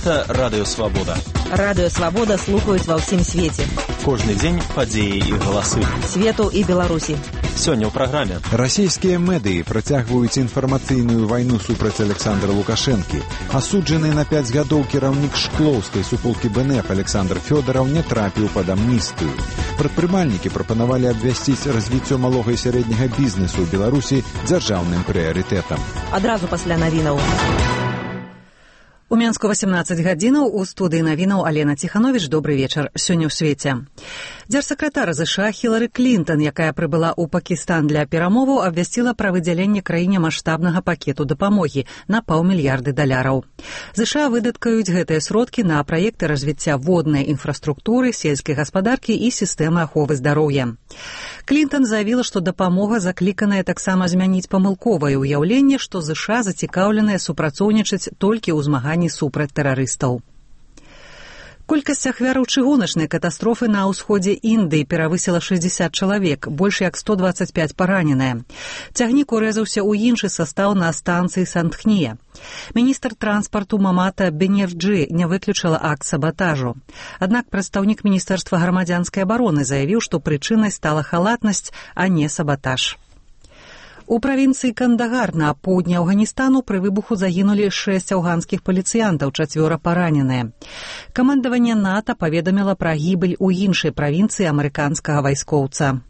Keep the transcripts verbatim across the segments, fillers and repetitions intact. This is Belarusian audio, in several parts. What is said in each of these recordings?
Гэта Радыё Свабода. Радыё Свабода слухаюць ва ўсім свеце. Кожны дзень падзеі і галасы. Свету і Беларусі. Сёння ў праграме. Расійскія медыі працягваюць інфармацыйную вайну супраць Александра Лукашэнкі. Асуджаны на пяць гадоў кіраўнік шклоўскай суполкі БНФ Александр Фёдараў не трапіў пад амністыю. Прадпрымальнікі прапанавалі абвясціць развіццё малога і сярэдняга бізнесу ў Беларусі дзяржаўным прыярытэтам. Адразу пасля навінаў. У Мінску васемнаццаць гадзінаў, у студыі навінаў Алена Ціхановіч. Добрый вечар. Сёння ў свеце. Дзяржсакратар ЗША Хілары Клінтон, якая прыбыла ў Пакістан для перамоваў, абвясціла пра выдзяленне краіне маштабнага пакету дапамогі на паўмільярды даляраў. ЗША выдаткаюць гэтыя сродкі на праекты развіцця воднай інфраструктуры, сельскай гаспадаркі і сістэмы аховы здароўя. Клінтон заявіла, што дапамога закліканая таксама змяніць памылковае ўяўленне, што ЗША зацікаўленыя супрацоўнічаць толькі ў змаганні супраць тэрарыстаў. Колькасць ахвяраў чыгуначнай катастрофы на ўсходзе Індыі перавысіла шэсцьдзесят чалавек, больш як сто дваццаць пяць параненыя. Цягнік урэзаўся ў іншы састаў на станцыі Сандхния. Міністр транспарту Мамата Бенефджы не выключыла акт сабатажу. Аднак прадстаўнік Міністэрства грамадзянскай абароны заявіў, што прычынай стала халатнасць, а не сабатаж. У правінцыі Кандагар на поўдні Афганістану пры выбуху загінулі шэсць афганскіх паліцыянтаў, чацвёра параненыя. Камандаванне НАТО паведаміла пра гібель у іншай правінцыі амерыканскага вайскоўца.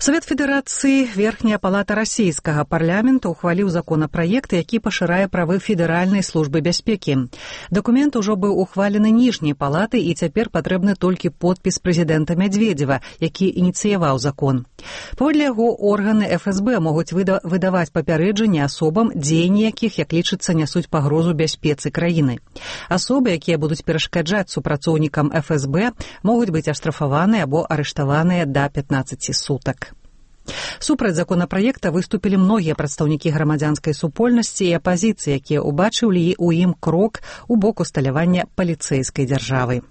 Савет Федэрацыі, Верхняя палата расійскага парламента ухваліў законапраект, які пашырае правы Федэральнай службы бяспекі. Дакумент ужо быў ухвалены ніжняй палаты і цяпер патрэбны толькі подпіс прэзідэнта Мядзведзева, які ініцыяваў закон. Паводле яго органы эф эс бэ могуць выда- выдаваць папярэджанні асобам, дзеянні якіх, як лічыцца, нясуць пагрозу бяспецы краіны. Асобы, якія будуць перашкаджаць супрацоўнікам эф эс бэ, могуць быць аштрафаваныя або арыштаваныя да пятнаццаці сутак. Супраць законапраекта выступілі многія прадстаўнікі грамадзянскай супольнасці і апазіцыі, якія ўбачылі ў ім крок у бок усталявання паліцэйскай дзяржавы.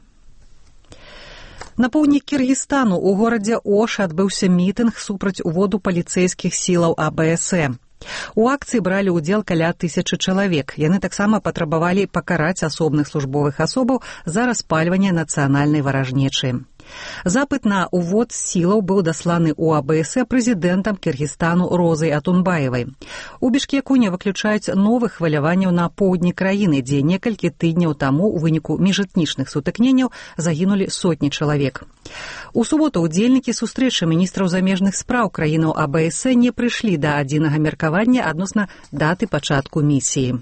На поўдні Кіргізстану у горадзе Ош адбыўся мітынг супраць уводу паліцэйскіх сілаў а бэ эс э. У акцыі бралі ўдзел каля тысячы чалавек. Яны таксама патрабавалі пакараць асобных службовых асобаў за распальванне нацыянальнай варажнечы. Запыт на увод сілаў быў дасланы ў а бэ эс э прэзідэнтам Кіргізстану Розай Атунбаевай. У Бішкеку не выключаюць новых хваляванняў на поўдні краіны, дзе некалькі тыдняў таму ў выніку міжэтнічных сутыкненняў загінулі сотні чалавек. У суботу удзельнікі сустрэчы міністраў замежных спраў краінаў а бэ эс э не прыйшлі да адзінага меркавання адносна даты пачатку місіі.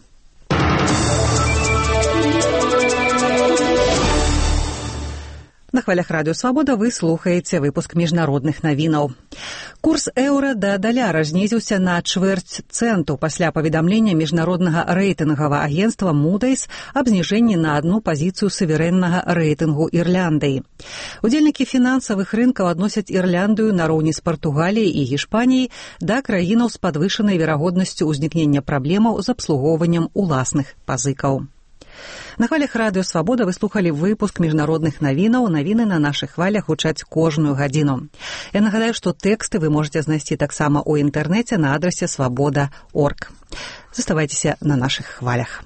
На хвалях Радыё Свабода вы слухаеце выпуск міжнародных навінаў. Курс еўра да даляра знізіўся на чвэрць цэнту пасля паведамлення міжнароднага рэйтынгавага агенцтва Moody's аб зніжэнні на адну пазіцыю суверэннага рэйтынгу Ірляндыі. Удзельнікі фінансавых рынкаў адносяць Ірляндыю нароўні з Партугаліяй і Гішпаніяй да краінаў з падвышанай верагоднасцю ўзнікнення праблемаў з абслугоўваннем уласных пазыкаў. На хвалях Радыё Свабода вы слухалі выпуск міжнародных навінаў. Навіны на нашых хвалях гучаць кожную гадзіну. Я нагадаю, што тэксты вы можаце знайсці таксама ў інтэрнэце на адрасе свабода точка орг. Заставайцеся на нашых хвалях.